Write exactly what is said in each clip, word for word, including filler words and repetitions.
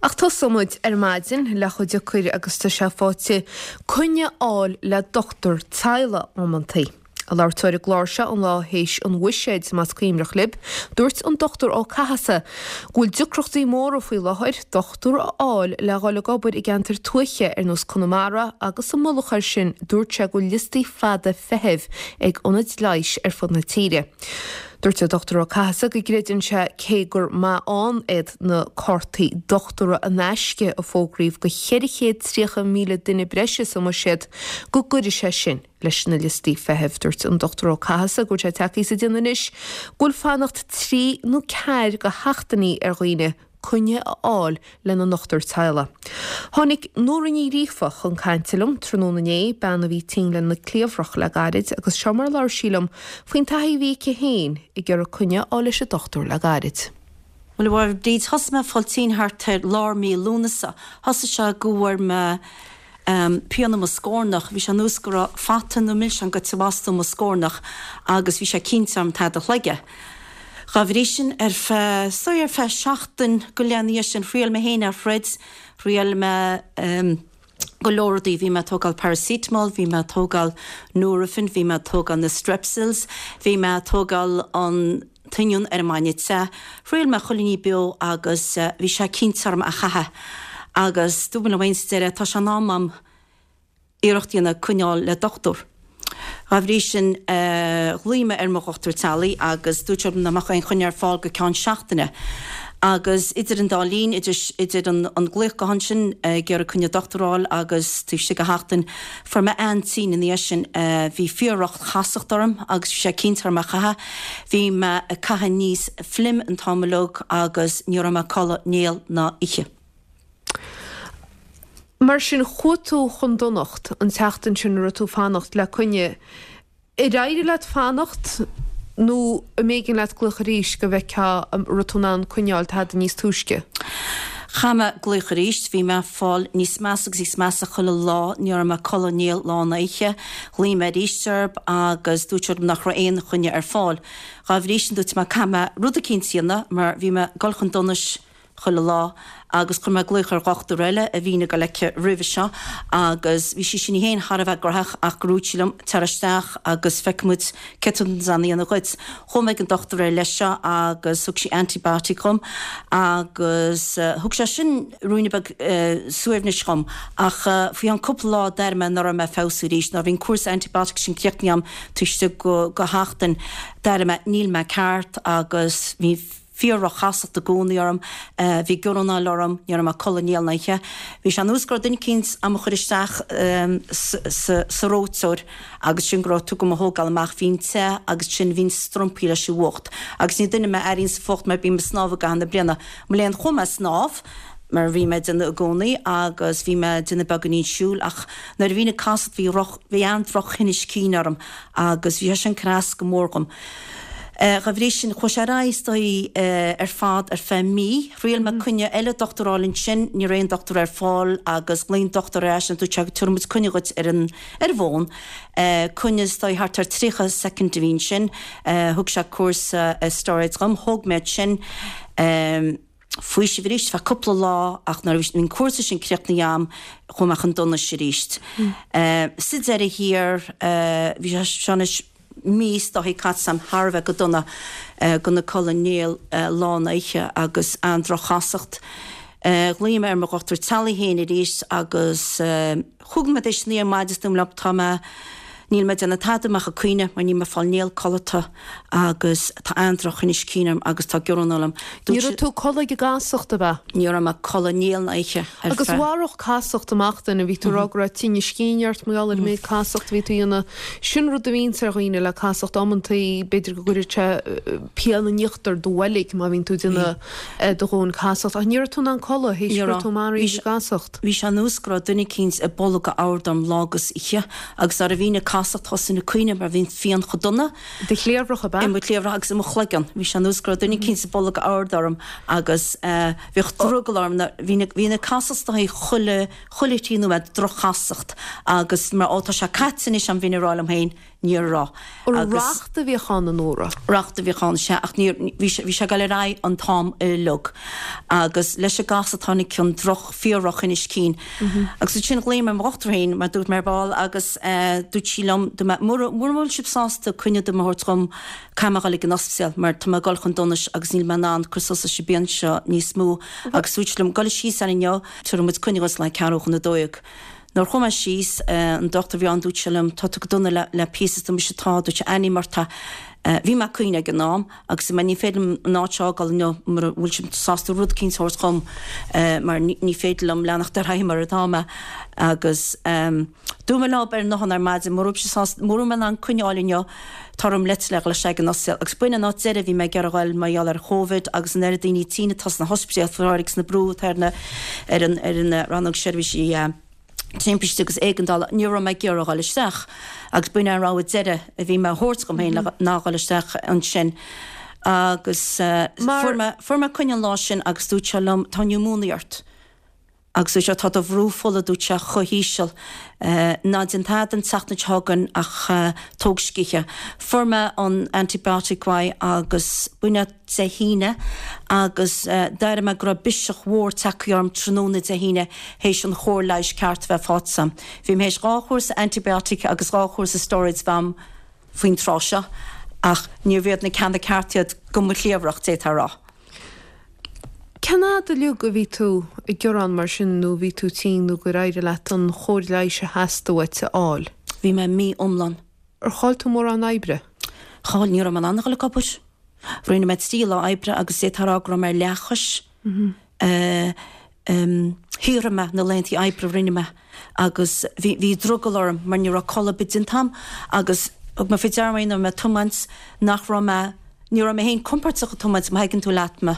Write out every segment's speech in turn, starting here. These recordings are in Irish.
Ach tosóidh muid ar maidin le chomh deacair agus tá sé faighte coinne a fháil le dochtúir teaghlaigh amantaí. Ag labhairt dó ar an gclár seo an lá théis an bhuiséid, más cuimhneach libh, dúirt an Dochtúir Ó Cathasaigh go bhfuil deacrachtaí móra faoi láthair dochtúir a fháil le dhul ag obair i gceantair tuaithe ar nós Conamara agus sa mullach air sin dúirt sé go bhfuil liostaí fada feithimh ag ionaid leighis ar fud na tíre. Dúirt an Dochtúir Ó Cathasaigh go gcreideann sé cé gur maith ann iad na cártaí dochtúra in aisce a fógraíodh do cheithre chéad tríocha míle duine breise sa mbuiséad go gcuirfidh sé sin leis na liostaí feithimh. Dúirt an Dochtúir Ó Cathasaigh go bhfuil sé tagtha sa déanamh anois go bhfuil fanacht trí nó ceathair de sheachtainí ar dhaoine coinne a fháil lena ndochtúir teaghlaigh. Tháinig Nóra Ní Ghríofa chun cainte liom tráthnóna inné, bean a bhí tinn lena cliabhrach le gairid, agus seo mar a labhair sí liom faoin taithí a bhí aici féin ag iarraidh coinne a fháil leis an dochtúir le gairid. Bhuel, a Bhríd, thosaigh mé ag fáil tinn thart ar lár mí Lúnasa. Thosaigh sé go bhfuair mé pian i mo scornach, bhí sé nós go raibh fata nó milseán goite amach ó mo scornach agus bhí sé cinnte orm tada a shlogadh. Dhá bhrí sin, ar feadh, is dóigh ar feadh seachtain go leith ina dhiaidh sin, thriail mé féin é a throid, thriail mé go leor rudaí, bhí mé ag tógáil paracetamol, bhí mé ag tógáil Nurofen, bhí mé ag tógáil na Strepsils, bhí mé ag tógáil an t-oinniún ar an mbainne te, thriail mé chuile ní beo agus bhí sé cinnte orm a chaitheamh agus dúirt mé liom féin sa deireadh, tá sé in am a'm iarracht a dhéanamh coinneáil le dochtúir. Dá bhrí sin, ghlaoigh mé ar mo dhochtúir teaghlaigh agus dúirt sé liom nach mbeadh aon choinne ar fáil go ceann seachtaine. Agus idir an dá linn, idir idir an an glaoch gutháin sin ag iarraidh coinne dochtúir a fháil agus taobh istigh de sheachtain, fuair mé an-tinn ina dhiaidh sin. Bhí fíor-dhroch-chasacht orm agus bhí sé cinnte orm é a chaitheamh. Bhí mé ag caitheamh aníos phluim an t-am uilig agus ní raibh mé ag codladh néal ná oíche. Mar sin, chuaigh tú chun donacht an tseachtain sin a raibh tú ag fanacht le coinne. Ar éirigh leat fanacht nó an mb'éigean leat glaoch arís go bhfeicfeá an raibh tú in ann coinneáil tada níos túisce? Chaith mé glaoch arís. Bhí mé ag fáil níos measa agus níos measa chuile lá. Ní raibh mé ag codladh néal lá ná oíche. Ghlaoigh mé arís orthu agus dúirt siad liom nach raibh aon choinne ar fáil. Dhá bhrí sin dúirt mé caithfidh mé rud eicínt a dhéanamh mar bhí mé ag dul chun donais chuile lá agus chuir mé glaoch ar dhochtúir eile a bhínn ag dul aici roimhe seo agus bhí sí sin í féin thar a bheith graitheach ach gur dhúirt sí liom tar isteach agus feicfidh muid céard tá in ann a dhéanamh dhuit. Chuaigh mé ag an dochtúir eile seo agus thug sí antibiotic dhom agus thug sé sin ruainne beag suaimhnis dhom ach faoi cheann cúpla lá d'airigh mé nach raibh mé ag feabhsú arís. Nuair a bhí an cúrsa antibiotic sin críochnaithe agam taobh istigh de sheachtain d'airigh mé níl mé ceart agus bhí fíor-dhroch-chasacht i gcónaí orm, bhí georanáil orm, ní raibh mé ag codladh néal ná oíche. Bhí sé ar nós go raibh duine eicínt á mo chur isteach sa reoiteoir agus sin go raibh tú go mo thógáil amach, bhínn te agus sin bhínn strompaithe leis an bhfuacht. Agus ní duine mé a airíonns an fuacht mar bím ag snámh i gcaitheamh na bliana. Mo léan chuaigh mé ag snámh mar bhí mé ag déanamh i gcónaí agus bhí mé ag déanamh beagáinín siúil ach nuair a bhínn ag casacht bhí bhí an-droch-thinneas cinn orm agus bhí sé sin ag cur as go mór dhom. Dá bhrí sin, chuaigh sé ar aghaidh is dóigh ar fad ar feadh mí. Thriail mé coinne eile dochtúir a fháil ansin, ní raibh aon dochtúir ar fáil agus ghlaoigh an dochtúir ar ais agus dúirt sé tabharfaidh muid coinne dhuit ar an ar an bhfón. Coinne is dóigh thart ar tríocha soicind a bhí ansin. Thug sé cúrsa steroids dhom, thóg mé iad sin. Faoiseamh arís feadh cúpla lá ach nuair a bhí an cúrsa sin críochnaithe agam chuaigh mé chun donais arís. Sa deireadh thiar bhí sé seo anois mí is dóichí caite agam thar a bheith go dona gan ag codladh néal lá ná oíche agus an-droch-chasacht. Ghlaoigh mé ar mo dhochtúir teaghlaigh féin arís agus chúig nóiméad théis a naoi ar maidin is dúirt mé leo tá mé, níl mé ag déanamh tada amach ag caoineadh mar níl mé ag fáil néal codlata agus tá an-drochthinneas cinn orm agus tá georanáil orm. Ní raibh tú ag codladh ag an gcasacht, ab ea? Ní raibh mé ag codladh néal ná oíche ar Agus feadh. mharódh casacht amach duine, bhí tú ag rá go raibh tinneas cinn ort mar gheall ar an méid casacht a bhí tú a dhéanamh. Sin rud a bhíonns ar dhaoine le casacht amantaí, b'fhéidir go gcuireann sé pian in íochtar do bhoilg má bhíonn tú ag déanamh do dhóthain casacht. Ach ní raibh tú in ann codladh théis Ní go raibh raibh. tú maraithe ag an gcasacht. Bhí sé ar nós go raibh duine eicínt ag bolgadh ard orm lá agus oíche agus nuair a bhínn ag casacht thosainn ag caoineadh mar bhí an phian chomh dona. I do chliabhrach ab ea? I mo chliabhrach agus i mo chloigeann. Bhí sé ar nós go raibh duine eicínt ag bolgadh ard orm agus bhíodh drogall orm bhí bhínn ag casacht is dóichí chuile chuile thrí nóiméad droch-chasacht agus mar ó tá sé caite anois a'm bhínn ag rá liom féin Ní raibh. Agus racht a bhíodh ann, a Nóra? Racht a bhíodh ann, sea, ach ní, bhí sé, bhí sé ag dul ar aghaidh an t-am uilig. Agus leis an gcasacht tháinig an droch, fíor-dhrochthinneas cinn. Agus ansin ghlaoigh mé ar mo dhochtúir féin, mar dúirt mé ar ball, agus dúirt sí liom, dúirt mé, mura, mura bhfuil sibh sásta coinne dom a thabhairt dhom, caithfidh mé a dhul ag an ospidéal mar tá mé ag dul chun donais agus níl mé in ann cur suas leis an bpian seo níos mó. Agus dúirt sí liom, gabh síos ann inniu, tabharfaidh muid coinne dhuit le haghaidh ceathrú chun a dó dhéag. Nuair chuaigh mé síos, an dochtúir a bhí ann, dúirt sé liom, tá tú go dona le, le píosa, dúirt mise, tá, dúirt sé, ainm ort, tá. Bhí mé ag caoineadh ag an am agus dúirt mé, ní féidir liom an áit seo a fhágáil inniu mura bhfuil sibh sásta rud eicínt a thabhairt dhom mar ní, ní féidir liom leanacht ar aghaidh mar atá mé. Agus dúirt mé leo ar an nguthán ar maidin, mura bhfuil sibh sásta, mura bhfuil mé in ann coinne a fháil inniu, tá orm leitleach a dhul isteach ag an ospidéal. Agus b'in an áit deiridh a bhí mé ag iarraidh a dhul mar gheall ar Covid agus an oiread daoine tinn atá sna hospidéil faoi láthair agus na brú atá ar na, ar an, ar an rannóg seirbhísí timpiste agus éigeandála, ní raibh mé ag iarraidh a dhul isteach agus b'in an rogha deiridh a bhí mé a thabhairt dhom féin ná a dhul isteach ansin. Agus fuair mé, fuair mé coinne an lá sin agus dúirt sé liom, tá niúmóine ort. Agus dúirt sé, tá do bhrú fola, dúirt sé, chomh híseal. Ná déan tada an tseachtain seo chugainn ach tóg scíth. Fuair mé an antibiotic uaidh agus b'in é Dé hAoine agus d'airigh mé go raibh biseach mhór tagtha orm tráthnóna Dé hAoine théis an chóir leighis ceart a bheith faighte agam. Bhí mé théis dhá chúrsa antibiotic agus dhá chúrsa steroids a bheith agam faoin tráth seo ach níorbh iad na ceanna cearta iad go mo chliabhrach, d'fhéadfá a rá. Cén fhad uilig a bhí tú ag gearán mar sin nó bhí tú tinn nó gur éirigh leat an chóir leighis a theastaigh uait a fháil? Bhí mé mí iomlán. Ar chaill tú mórán oibre? Chaill, ní raibh mé in ann a dhul ag obair. Rinne mé trí lá oibre agus d'fhéadfá a rá go raibh mé ar leathchois. Shaothraigh mé na laethanta oibre a rinne mé agus bhí bhí drogall orm mar ní raibh codladh ar bith déanta agam agus thug mé faoi deara nuair a bhí mé ag tiomáint nach raibh mé ní raibh mé féin compordach ag tiomáint má thuigeann tú leat mé.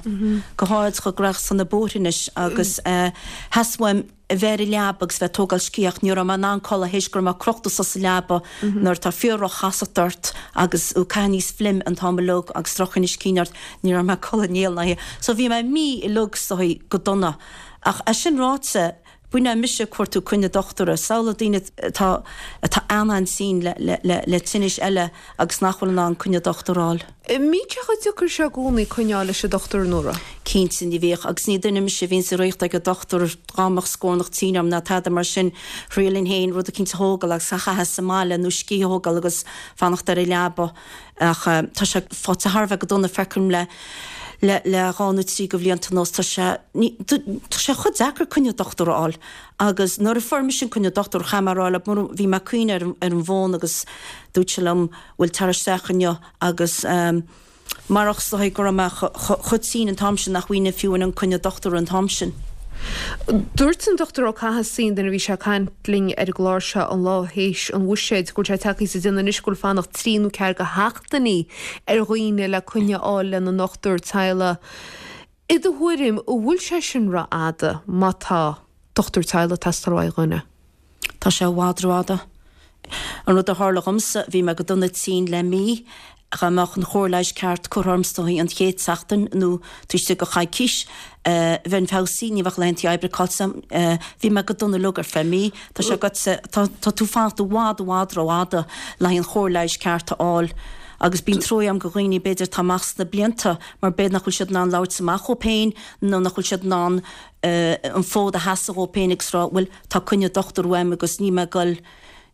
Go háirid chomh gnóthach is atá na bóithre anois agus theastaigh uaim a bheith ar an leaba agus bheith ag tógáil scíth ach ní raibh mé in ann codladh théis go raibh mé crochta suas sa leaba nuair atá fíor-dhroch-chasacht ort agus tú ag caitheamh aníos fleim an t-am uilig agus drochthinneas cinn ort, ní raibh mé ag codladh néal ná oíche. So bhí mé mí uilig is dóigh go dona. Ach é sin ráite, b'in é mise ag cuartú coinne dochtúra. Samhlaigh daoine atá atá an-an-tinn le le le le tinnis eile agus nach bhfuil in ann coinne dochtúra a fháil. An mbíonn sé chomh deacair seo i gcónaí coinne a fháil leis an dochtúir, a Nóra? Cinnte, ní bhíodh. Agus ní duine mise a bhíonns ag rith ag an dochtúir dá mbeadh scornach tinn orm ná tada mar sin. Thriailfinn féin rud eicínt a thógáil agus a chaitheamh sa mbaile nó scíth a thógáil agus fanacht ar an leaba. Ach tá sé faighte thar a bheith go dona, feicim le le le dhá nó trí de bhlianta anuas. Tá sé ní tá sé chomh deacair coinne dochtúra a fháil. Agus nuair a fuair mise an coinne dochtúra, chaith mé a rá leo, mura bhí mé ag caoineadh ar an ar an bhfón agus dúirt sé liom, bhuel tar isteach inniu agus marach is dóigh go raibh mé chomh tinn an t-am sin nach bhfaighinn fiú an coinne dochtúra an t-am sin. Dúirt an Dochtúir Ó Cathasaigh nuair a bhí sé ag caint linn ar an gclár seo an lá théis an bhuiséid go bhfuil sé tagtha sa déanamh anois go bhfuil fanacht trí nó ceathair de sheachtainí ar dhaoine le coinne a fháil lena ndochtúir teaghlaigh. I do thuairim, an bhfuil sé sin rófhada má tá dochtúir teaghlaigh ag teastáil uaidh dhuine? Tá sé i bhfad rófhada. An rud a tharla dhomsa, bhí mé go dona tinn le mí, dá mbeadh an chóir leighis ceart curtha orm is dóigh an chéad tseachtain nó taobh istigh de choicís, bheinn feabhsaithe, ní bheadh laethanta oibre caillte agam. Bhí mé go dona uilig ar feadh mí. Tá sé agatsa, tá tú ag fanacht i bhfad i bhfad rófhada le haghaidh an chóir leighis ceart a fháil. Agus bíonn trua agam do dhaoine b'fhéidir atá amach sna blianta mar b'fhéidir nach bhfuil siad in ann labhairt amach dhóibh féin nó nach bhfuil siad in ann an fód a sheasamh dhóibh féin agus rá bhuel tá coinne dochtúir uaim agus níl mé ag dul,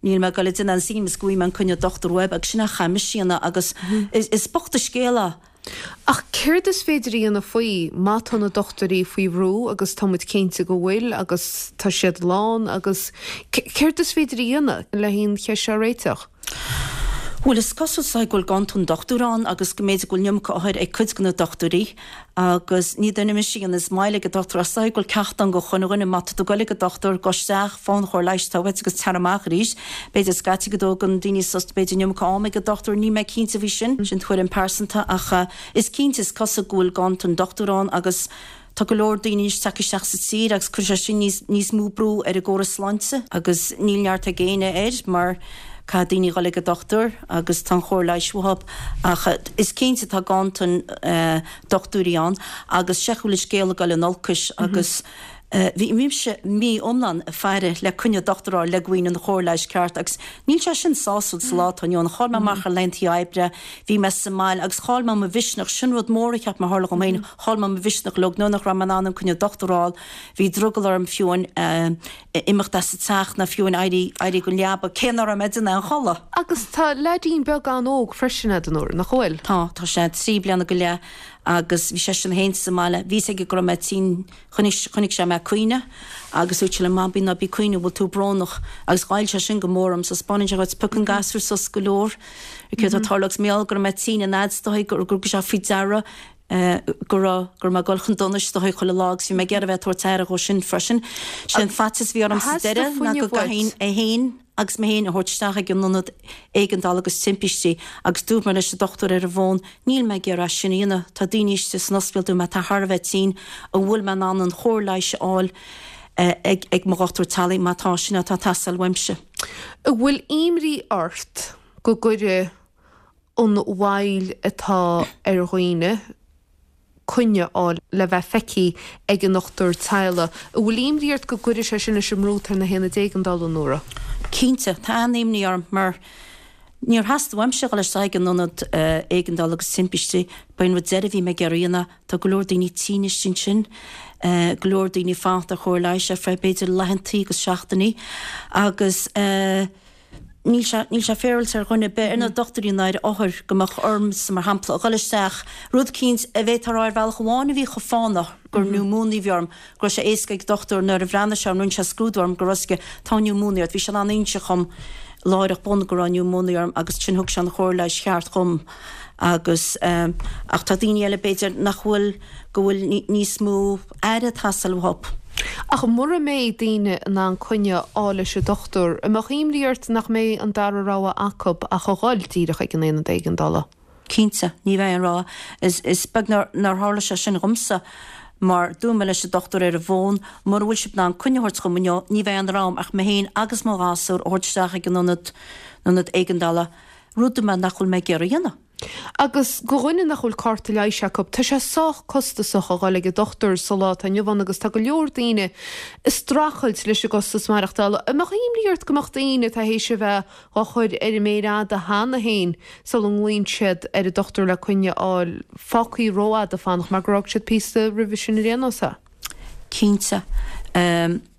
níl mé ag dul ag déanamh aon scene is go bhfaighidh mé an coinne dochtúir uaim agus sin a chaith mise a dhéanamh agus is bocht an scéal é. Ach céard is féidir a dhéanamh faoi má tá na dochtúirí faoi bhrú agus tá muid cinnte go bhfuil agus tá siad lán agus céard is féidir a dhéanamh le an cheist seo a réiteach? Bhuel, is cosúil is dóigh go bhfuil ganntan dochtúir ann agus go mb'fhéidir go bhfuil an iomarca othair ag cuid de na dochtúirí agus ní duine mise a dhéanas moill ag an dochtúir ach is dóigh go bhfuil ceacht ann do chuile dhuine, má tá tú ag goil ag an dochtúir, gabh isteach, faigh an chóir leighis atá uait agus tar amach arís. B'fhéidir scaití go dtógann daoine sos, b'fhéidir an iomarca ama ag an dochtúir, níl mé cinnte faoi sin, sin tuairim pearsanta ach is cinnte, is cosúil go bhfuil ganntan dochtúir ann agus Tá go leor daoine anois tagtha isteach sa tír agus cuirfidh sé sin níos níos mó brú ar an gcóras sláinte agus níl neart ag éinne air mar caithfidh daoine dhul ag an dochtúir agus tá an chóir leighis uathu ach is cinnte tá ganntan dochtúirí ann agus sé go bhfuil an scéal ag dul in olcais agus Bhí mise mí iomlán ag faire le coinne dochtúir a fháil le go bhfaighinn an chóir leighis ceart agus níl sé sin sásúil sa lá atá inniu ann. Chaill mé amach ar laethanta oibre, bhí mé sa mbaile agus chaill mé mo mhisneach, sin rud mór a cheap mé a tharla dhom féin, chaill mé mo mhisneach uilig nuair nach raibh mé in ann an coinne dochtúir a fháil, bhí drogall orm fiú amháin imeacht as an teach ná fiú amháin éirí éirí den leaba, cé nach raibh mé ag déanamh aon chodladh. Agus tá leaidín beag an-óg freisin agat, a Nóra, nach bhfuil? Tá, tá sé trí bliana go leith agus bhí seisean féin sa mbaile. Bhí fhios aige go raibh mé tinn, chonaic, chonaic sé mé ag caoineadh agus dúirt sé liom, Mamaí, ná bí ag caoineadh, an bhfuil tú brónach? Agus ghoill sé sin go mór orm, so 'spáineann sé dhuit, pioc an gasúr suas go leor, céard atá ag tarlú agus mar gheall go raibh mé tinn an fhad is dóigh gur, gur thug sé faoi deara go raibh, go raibh mé ag dul chun donais is dóigh chuile lá agus bhí mé ag iarraidh a bheith ag tabhairt aire dhó sin freisin. Sé an faitíos a bhí orm sa deireadh ná go gcaithfinn é féin agus mé féin a thabhairt isteach ag an ionad éigeandála agus timpistí agus dúirt mé leis an dochtúir ar an bhfón, níl mé ag iarraidh sin a dhéanamh, tá daoine istigh san ospidéal dúirt mé atá thar a bheith tinn, an bhfuil mé in ann an chóir leighis a fháil ag ag mo dhochtúir teaghlaigh má tá sin atá ag teastáil uaimse. An bhfuil imní ort go gcuirfidh an mhoill atá ar dhaoine coinne a fháil le bheith feicthe ag an ndochtúir teaghlaigh. An bhfuil imní ort go gcuirfidh sé sin leis an mbrú atá ar na haonaid éigeandála, a Nóra? Cinnte, tá an-imní orm mar níor theastaigh uaimse a dhul isteach ag an ionad éigeandála agus timpistí. Ba é an rud deiridh a bhí mé ag iarraidh a dhéanamh. Tá go leor daoine tinn istigh ansin, go leor daoine ag fanacht ar chóir leighis ar feadh b'fhéidir laethanta agus seachtainí agus Níl sé, níl sé féaráilte ar dhuine ar bith, ar na dochtúirí ná ar othair, go mbeadh ormsa, mar shampla, a dhul isteach, rud eicínt a bhféadfá a rá ar bhealach amháin a bhí chomh fánach gur niúmóinia a bhí orm, go raibh sé éasca ag dochtúir nuair a bhreathnaigh sé orm, rinne sé scrúdú orm, go raibh fhios aige, tá niúmóinia ort. Bhí sé in ann inse dhom láithreach bonn go raibh niúmóinia orm agus ansin thug sé an chóir leighis cheart dhom agus, ach tá daoine eile b'fhéidir nach bhfuil, go bhfuil níos mó aire ag teastáil uathu. Ach mura mbeidh daoine in ann coinne a fháil leis an dochtúir, an mbeadh imní ort nach mbeidh an dara rogha acu ach a dhul díreach ag an aonad éigeandála? Cinnte, ní bheidh aon rogha. Is beag nár tharla sé sin dhomsa mar dúirt mé leis an dochtúir ar an bhfón, mura bhfuil sibh in ann coinne a thabhairt dhom inniu, ní bheidh aon rogha agam ach mé féin agus mo ghasúr a thabhairt isteach ag an ionad éigeandála, rud dúirt mé nach bhfuil mé ag iarraidh a dhéanamh. Agus do dhuine nach bhfuil cárta leighis acu, tá sé sách costasach a dhul ag an dochtúir sa lá atá inniu ann agus tá go leor daoine ag streachailt leis an gcostas maireachtála. An mbeadh imní ort go mbeadh daoine atá théis a bheith dhá chur ar an méar fhada cheana féin sula nglaonn siad ar an dochtúir le coinne a fháil, fágtha rófhada ag fanacht mar gur fhág siad píosa roimhe sin ar aon nós é? Cinnte.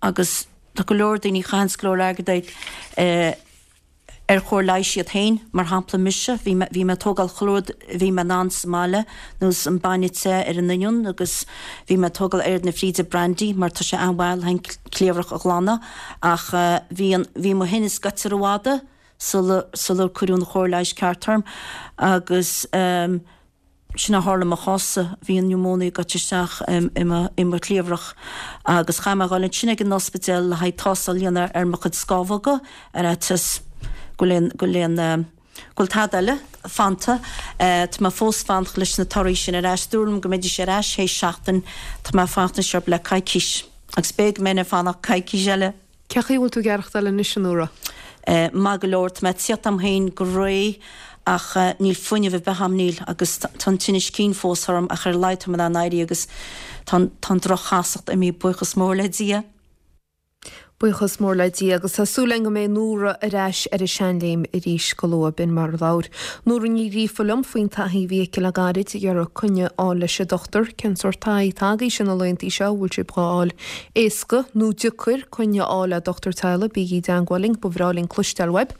Agus tá go leor daoine a chaitheanns go leor airgead ar chóir leighis iad féin, mar shampla mise, bhí mé, bhí mé ag tógáil chuile rud a bhí mé in ann sa mbaile, nós an bainne te ar an oinniún agus bhí mé ag tógáil oiread na fríde brandy mar tá sé an-mhaith le an cliabhrach a ghlanadh ach bhí an, bhí mo thinneas gaibhte rófhada sula, sular cuireadh an chóir leighis ceart orm agus eh. Sin a tharla i mo chás-sa, bhí an niúmóinia gaibhte isteach i mo chliabhrach agus chaith mé a dhul ansin ag an ospidéal le haghaidh tástáil a dhéanamh ar mo chuid scamhóga ar fhaitíos go bhfuil go bhfuil go bhfuil tada eile fanta. Tá mé fós fanacht leis na torthaí sin ar ais. Dúradh liom go mbeidís ar ais théis seachtain. Tá mé ag fanacht anois orthu le coicís agus b'fhéidir go mbeinn ag fanacht coicís eile. Cé chaoi a bhfuil tú ag aireachtáil anois, a Nóra? Maith go leor, tá mé ag tíocht a'm féin go réidh ach níl fuinneamh ar bith a'm, níl, agus tá an tinneas cinn fós orm ach ar a laghad tá mé in ann éirí agus tá an droch-chasacht imithe, buíochas mór le Dia. Buíochas mór le Dia agus tá súil againn go mbeidh Nóra ar ais ar a seanléim arís go luath. B'in mar a labhair Nóra Ní Ghríofa liom faoin taithí a bhí aici le gairid ag iarraidh coinne a fháil leis an dochtúir. Cén sórt taithí atá agaibhse na laethanta seo? An bhfuil sibh dhá fháil éasca nó deacair coinne a fháil le dochtúir teaghlaigh? Bígí i dteangmháil linn, ba bhreá linn cloisteáil uaibh.